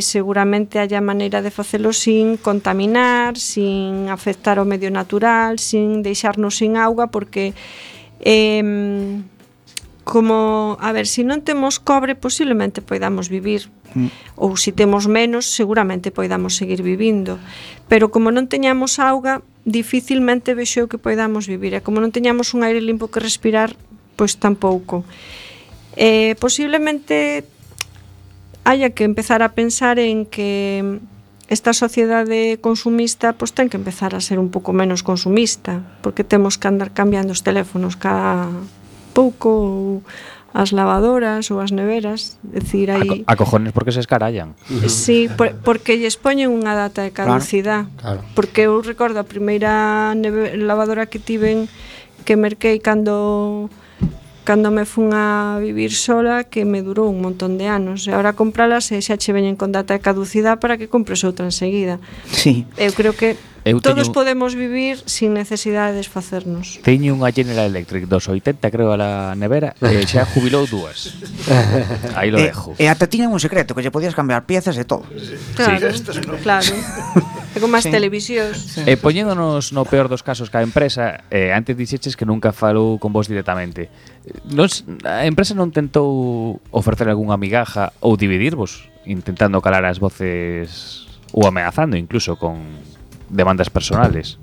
seguramente haya maneira de facelo sin contaminar, sin afectar o medio natural, sin deixarnos sin auga, porque como, a ver, se non temos cobre, posiblemente poidamos vivir, ou se temos menos, seguramente poidamos seguir vivindo, pero como non teñamos auga, dificilmente vexo que poidamos vivir, e como non teñamos un aire limpo que respirar, pois tampouco. Posiblemente haya que empezar a pensar en que esta sociedade consumista pois ten que empezar a ser un pouco menos consumista, porque temos que andar cambiando os teléfonos cada pouco, ou as lavadoras ou as neveras, decir aí a cojones porque se escarallan. Sí, porque lles poñen unha data de caducidade. Claro. Porque eu recordo a primeira lavadora que tiven, que merquei cando me fun a vivir sola, que me durou un montón de anos, e agora compralas e xa che veñen con data de caducidade para que compres outra enseguida. Sí. Eu creo que todos podemos vivir sin necesidade de desfacernos. Teño unha General Electric dos 80, creo, a la nevera, e xa jubilou dúas. Aí lo dejo. E ata tiñan un secreto, que lle podías cambiar piezas e todo. Claro, claro. É como as televisións. E poñéndonos no peor dos casos que a empresa, antes dixeches que nunca falou con vos directamente. A empresa non tentou ofrecer algunha migaja ou dividirvos, intentando calar as voces ou ameazando incluso con demandas personales?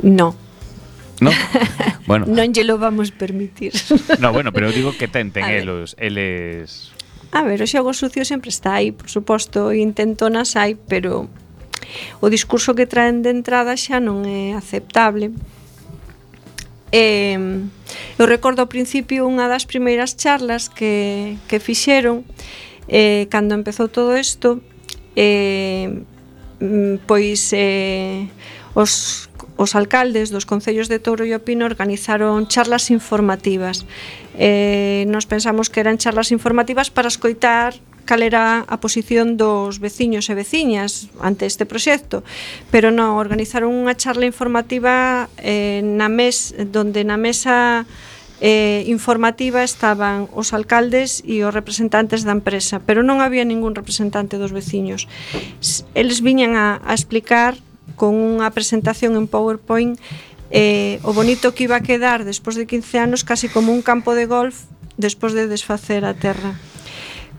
No. ¿No? Bueno. Non lle lo vamos permitir. No, bueno, pero digo que tenten eles. A ver, o xogo sucio sempre está aí, por suposto, intentonas hai, pero o discurso que traen de entrada xa non é aceptable. Eu recordo ao principio unha das primeiras charlas que fixeron cando empezou todo isto, pois os alcaldes dos concellos de Touro e O Pino organizaron charlas informativas. Nos pensamos que eran charlas informativas para escoitar cal era a posición dos veciños e veciñas ante este proxecto, pero non, organizaron unha charla informativa donde na mesa informativa estaban os alcaldes e os representantes da empresa, pero non había ningún representante dos veciños. Eles viñan a explicar con unha presentación en PowerPoint o bonito que iba a quedar despois de 15 anos, casi como un campo de golf despois de desfacer a terra.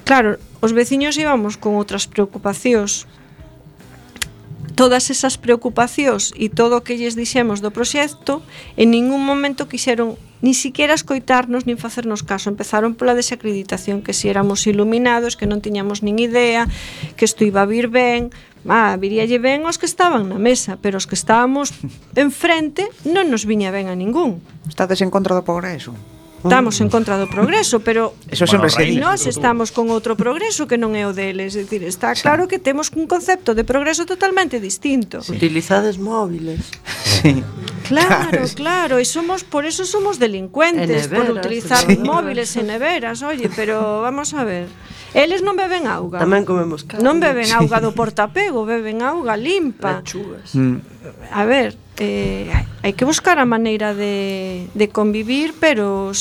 Claro, os veciños íbamos con outras preocupacións. Todas esas preocupacións e todo o que lles dixemos do proxecto, en ningún momento quixeron ni siquiera escoitarnos nin facernos caso. Empezaron pola desacreditación, que si éramos iluminados, que non tiñamos nin idea, que isto iba a vir ben. Viríalle ben aos que estaban na mesa, pero os que estábamos enfrente non nos viña ben a ningún. Estades en contra do progreso? Estamos en contra do progreso, pero eso sempre se di. Nós estamos con outro progreso que non é o deles. É dicir, está claro que temos un concepto de progreso totalmente distinto. Utilizades móviles. Sí. Claro, e por eso somos delincuentes, por utilizar móviles e neveras, oye, pero vamos a ver. Eles non beben auga. Tamén comemos carne. Non beben auga do portapego, beben auga limpa. Lechugas. A ver, hai que buscar a maneira de convivir, pero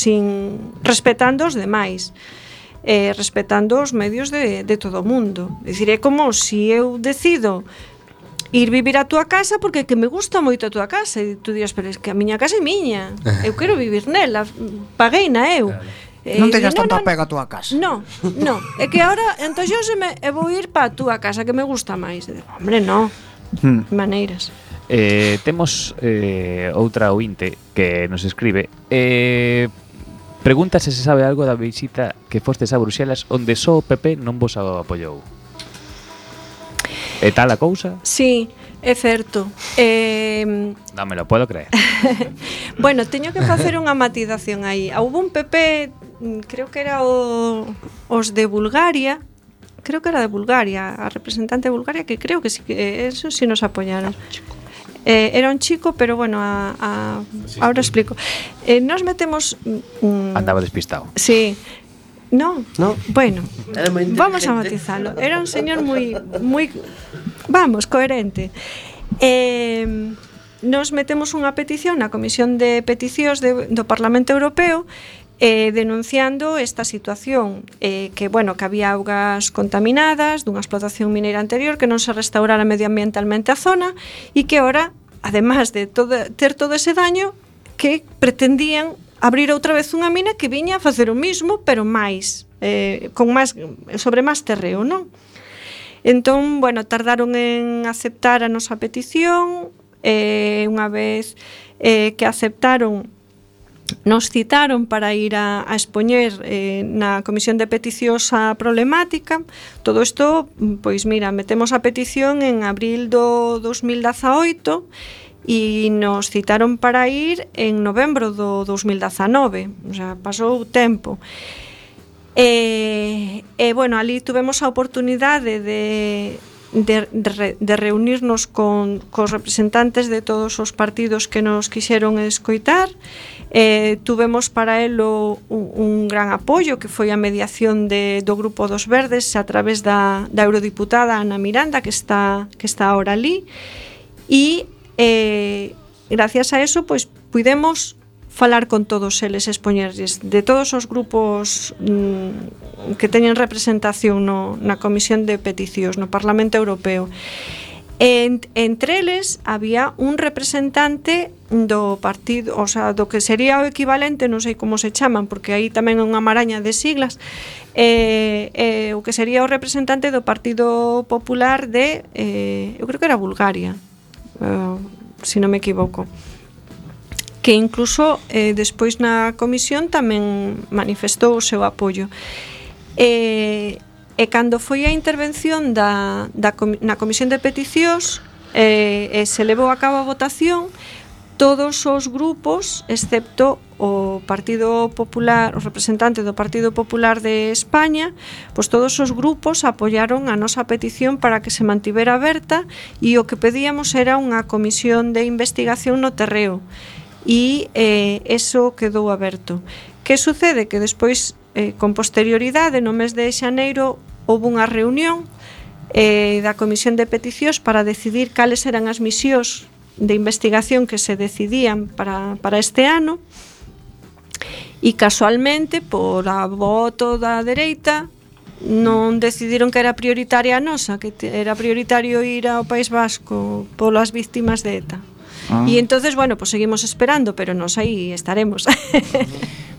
respetando os demais, respetando os medios de todo o mundo. É dicir, é como se eu decido ir vivir a túa casa porque que me gusta moito a túa casa e tú dirás, pero é que a miña casa é miña, eu quero vivir nela, pagueina eu. Non teñas tanto apego a túa casa. No, é que agora entoxóseme e vou ir pa a túa casa que me gusta máis. Hombre, no. Maneiras. Temos outra ointe que nos escribe. Pregunta se sabe algo da visita que fostes a Bruxelas onde só o PP non vos apoiou. É tal a cousa? Sí, é certo. Non me lo puedo creer. Bueno, teño que facer unha matización aí. Houve un PP, creo que era os de Bulgaria, a representante de Bulgaria, que creo que sí, que eso sí nos apoyaron. Era un chico, pero bueno, ahora explico. Nos metemos... Andaba despistado. Sí. No. Bueno, vamos a matizarlo. Era un señor moi coherente. Nos metemos unha petición na Comisión de Peticións do Parlamento Europeo denunciando esta situación, que había augas contaminadas dunha explotación mineira anterior, que non se restaurara medioambientalmente a zona e que ahora, además de ter todo ese daño, que pretendían abrir outra vez unha mina que viña a facer o mismo, pero máis, sobre máis terreo, non? Entón, tardaron en aceptar a nosa petición, unha vez que aceptaron, nos citaron para ir a expoñer na Comisión de Peticións a problemática. Todo isto, pois mira, metemos a petición en abril do 2018 e nos citaron para ir en novembro do 2019, o sea, pasou tempo. Ali tuvemos a oportunidade de reunirnos cos representantes de todos os partidos que nos quixeron escoitar. Tuvemos para elo un gran apoio, que foi a mediación do Grupo dos Verdes a través da eurodiputada Ana Miranda, que está ahora ali, e gracias a eso pois pudemos falar con todos eles, expoñerlles de todos os grupos que teñen representación na Comisión de Peticións no Parlamento Europeo. Entre eles había un representante do partido, o sea, do que sería o equivalente, non sei como se chaman, porque aí tamén é unha maraña de siglas, o que sería o representante do Partido Popular de, eu creo que era Bulgaria, se non me equivoco, que incluso despois na comisión tamén manifestou o seu apoio. E cando foi a intervención na Comisión de Peticións se levou a cabo a votación, todos os grupos, excepto o Partido Popular, o representante do Partido Popular de España, pois todos os grupos apoiaron a nosa petición para que se mantivera aberta, e o que pedíamos era unha comisión de investigación no terreo, e eso quedou aberto. Que sucede? Que despois, con posterioridade, no mes de xaneiro, houve unha reunión da Comisión de Peticións para decidir cales eran as misións de investigación que se decidían para este ano, e casualmente, por a voto da dereita, non decidiron que era prioritaria a nosa, que era prioritario ir ao País Vasco polas víctimas de ETA. E entonces, pues seguimos esperando, pero nos aí estaremos.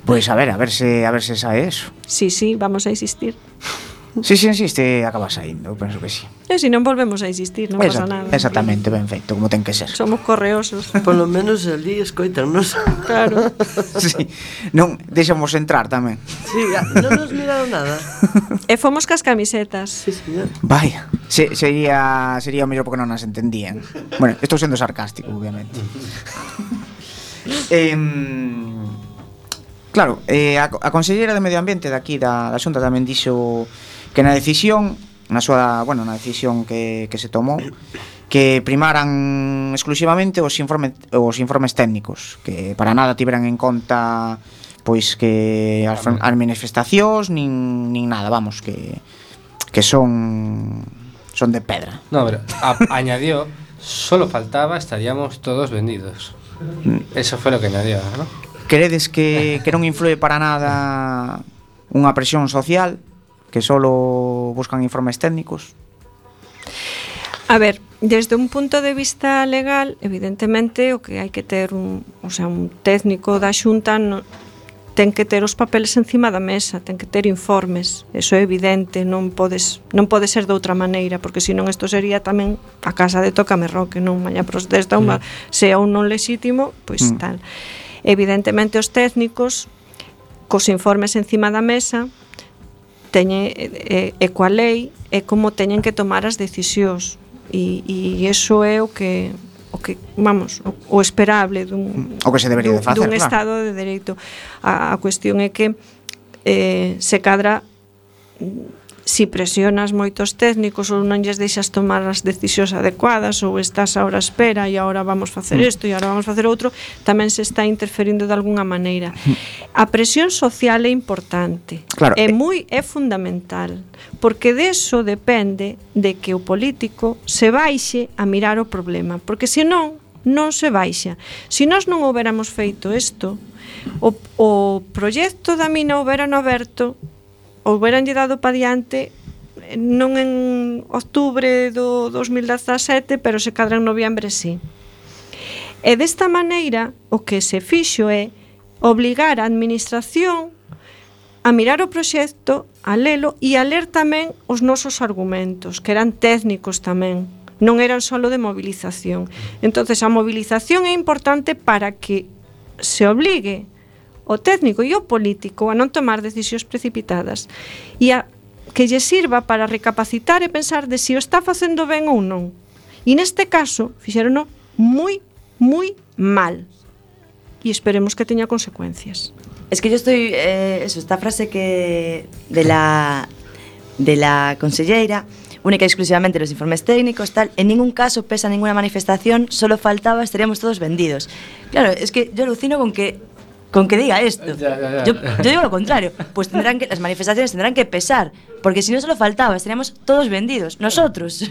Pois a ver se sae eso. Sí, vamos a insistir. Si se insiste, acaba saindo, eu penso que sí. E se non volvemos a insistir, non pasa nada. Exactamente, ben feito, como ten que ser. Somos correosos. Por lo menos ali escoitannos. Claro. Sí. Non, deixamos entrar tamén. Sí, non nos miraron nada. E fomos cas camisetas. Sí, señor. Vaya, sería o mellor porque non nas entendían. Bueno, estou sendo sarcástico, obviamente. Claro, a Conselleira de Medio Ambiente daqui da Xunta tamén dixo que na decisión que se tomou, que primaran exclusivamente os informes técnicos, que para nada tiveran en conta pois que as manifestacións nin nada, vamos, que son de pedra. No, pero añadió, solo faltaba, estaríamos todos vendidos. Eso fue lo que añadió, ¿no? Credes que non influe para nada unha presión social, que solo buscan informes técnicos? A ver, desde un punto de vista legal, evidentemente o que hai que ter un técnico da Xunta ten que ter os papeles encima da mesa, ten que ter informes, eso é evidente, non pode ser de outra maneira, porque senón isto sería tamén a casa de Tócame Roque, non mañá protesta sea un non lexítimo, pois tal. Evidentemente os técnicos cos informes encima da mesa teñen coa lei é como teñen que tomar as decisións e iso é o que vamos, o esperable o que se debería de facer, dun Estado de Dereito. A cuestión é que se cadra si presionas moitos técnicos ou non lles deixas tomar as decisións adecuadas ou estás ahora a espera e agora vamos facer isto e agora vamos facer outro, tamén se está interferindo de alguna maneira. A presión social é importante, claro, é fundamental, porque deso depende de que o político se baixe a mirar o problema, porque senón non se baixa. Se nós non houbéramos feito isto, o proxecto da mina houbérano aberto, houberanlle dado pa diante non en outubro do 2017, pero se cadra en noviembre sí. E desta maneira o que se fixo é obligar a administración a mirar o proxecto, a lelo e a ler tamén os nosos argumentos, que eran técnicos tamén, non eran só de movilización. Entonces a movilización é importante para que se obligue o técnico e o político a non tomar decisións precipitadas e a que lle sirva para recapacitar e pensar de si o está facendo ben ou non. E neste caso fixérono moi mal e esperemos que teña consecuencias. Es que yo estoy esta frase que de la conselleira, única y exclusivamente los informes técnicos, tal, en ningún caso pesa ninguna manifestación, solo faltaba, estaríamos todos vendidos. Claro, es que yo alucino con que diga esto. Yo digo lo contrario, pues las manifestaciones tendrán que pesar, porque si no solo faltaba, estaríamos todos vendidos, nosotros.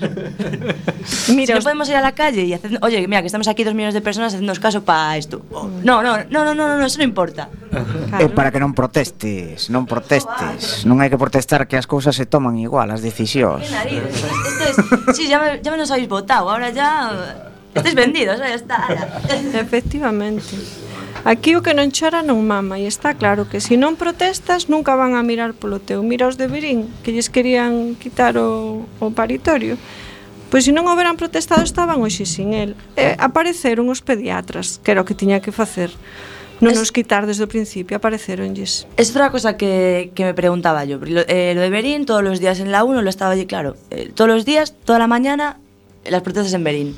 Mira, si no podemos ir a la calle y hacer, oye, mira, que estamos aquí 2 millones de personas haciéndonos caso para esto. No, eso no importa. É para que non protestes, non hai que protestar, que as cousas se toman igual, as decisións. Qué narices, esto es, sí, ya me nos habéis votado, ahora ya estáis vendidos, ya está. Efectivamente. Aquí o que non chora non mama, e está claro que se non protestas nunca van a mirar polo teu. Mira os de Verín, que lles querían quitar o paritorio. Pois se non houberan protestado estaban hoxe sin el. Apareceron os pediatras, que era o que tiña que facer. Non nos quitar desde o principio, apareceronlles. Es otra cosa que me preguntaba yo. Lo de Verín, todos los días en la 1 lo estaba allí, claro. Todos los días, toda la mañana, las protestas en Verín.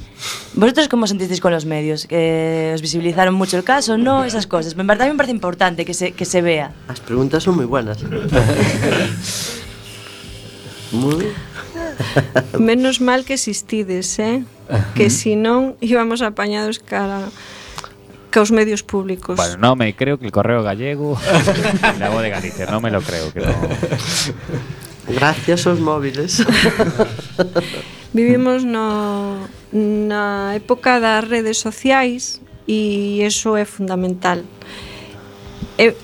¿Vosotros cómo sentisteis con los medios? ¿Que os visibilizaron mucho el caso? No, esas cosas. En verdad a mí me parece importante que se vea. Las preguntas son muy buenas. Muy. Menos mal que existides, que si non íbamos apañados caos medios públicos. Bueno, no me creo que el Correo Gallego y la Voz de Galicia, no me lo creo, que no. Gracias aos móviles. Vivimos na época das redes sociais e iso é fundamental.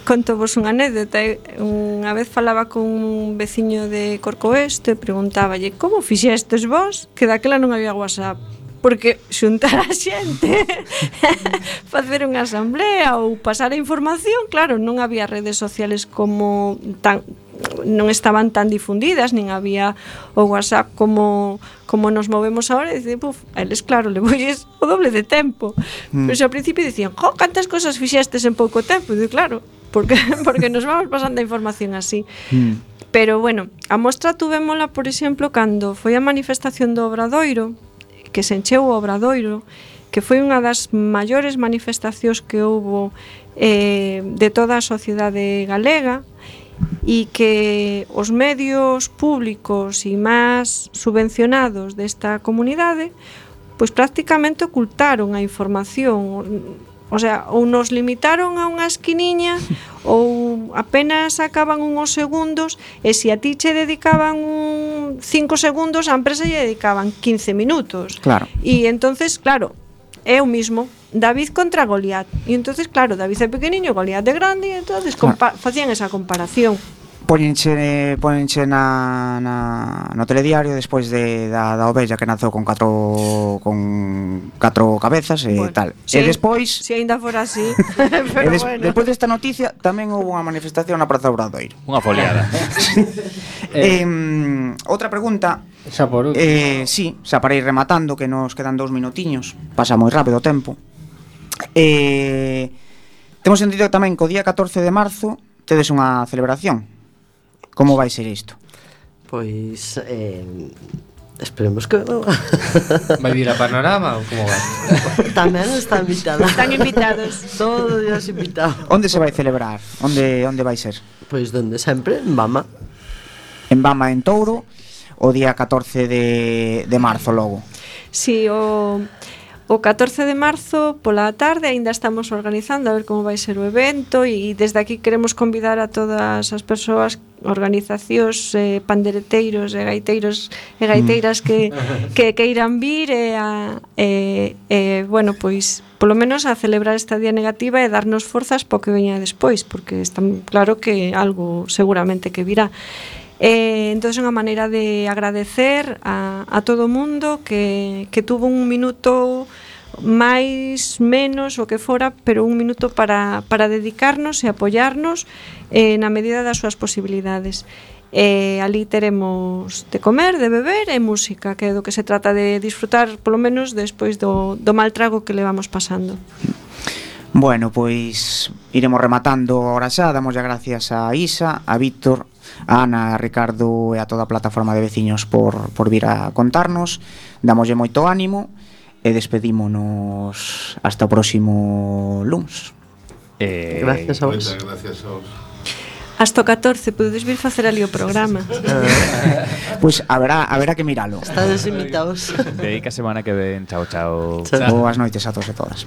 Conto vos unha anécdota. Unha vez falaba con un veciño de Corcoesto e preguntáballe como fixestes vos que daquela non había WhatsApp, porque xuntar a xente, facer unha asamblea ou pasar a información, claro, non había redes sociales como non estaban tan difundidas, nin había o WhatsApp como nos movemos ahora, e dicen, a eles claro, levolles o doble de tempo. Pero ao principio dicían, cantas cosas fixestes en pouco tempo? E digo, claro, porque nos vamos pasando a información así. Pero bueno, a mostra tuvémola, por exemplo, cando foi a manifestación do Obradoiro, que se encheu o Obradoiro, que foi unha das maiores manifestacións que houbo de toda a sociedade galega, e que os medios públicos e máis subvencionados desta comunidade pois prácticamente ocultaron a información. O sea, ou nos limitaron a unha esquiniña ou apenas sacaban uns segundos, e se a ti che dedicaban 5 segundos, a empresa lle dedicaban 15 minutos. Claro. E entonces, claro, é o mismo David contra Goliat. E entonces, claro, David é pequeniño, Goliat é grande, e entonces facían esa comparación. Póñenche no telediario despois da ovella que nazou con catro cabezas e tal. E despois, se ainda fora así, pero bueno. Despois desta noticia tamén houve unha manifestación na Praza Obradoiro. Unha foliada. Outra pregunta. Xa por último. Sí, xa para ir rematando, que nos quedan 2 minutiños. Pasa moi rápido o tempo. Temos entendido tamén que o día 14 de marzo tedes unha celebración. Como vai ser isto? Pois esperemos que vai vir a Panorama ou como vai? Tamén están invitados. Están invitados. Todos os invitados. Onde se vai celebrar? Onde vai ser? Pois donde sempre, en Bama. En Bama, en Touro, o día 14 de marzo logo. Si, o 14 de marzo pola tarde aínda estamos organizando a ver como vai ser o evento, e desde aquí queremos convidar a todas as persoas, organizacións, pandereteiros e gaiteiros e gaiteiras que queiran vir bueno, pois polo menos a celebrar esta día negativa e darnos forzas para que veña despois, porque está claro que algo seguramente que virá. Entón é unha maneira de agradecer a todo o mundo que tuvo un minuto máis, menos, o que fora, pero un minuto para dedicarnos e apoiarnos na medida das súas posibilidades. Ali teremos de comer, de beber e música, que é do que se trata de disfrutar, polo menos despois do mal trago que levamos pasando. Bueno, pois iremos rematando ahora xa. Damos as gracias a Isa, a Víctor, a Ana, a Ricardo e a toda a plataforma de veciños por vir a contarnos. Damoslle moito ánimo e despedímonos hasta o próximo luns. Gracias a vos. Moitas gracias a vos. Hasta o 14 podedes vir facer ali o programa. Pois haberá que miralo. Estades invitados. Dedica semana que ven. Chao, chao. Boas noites a todos e todas.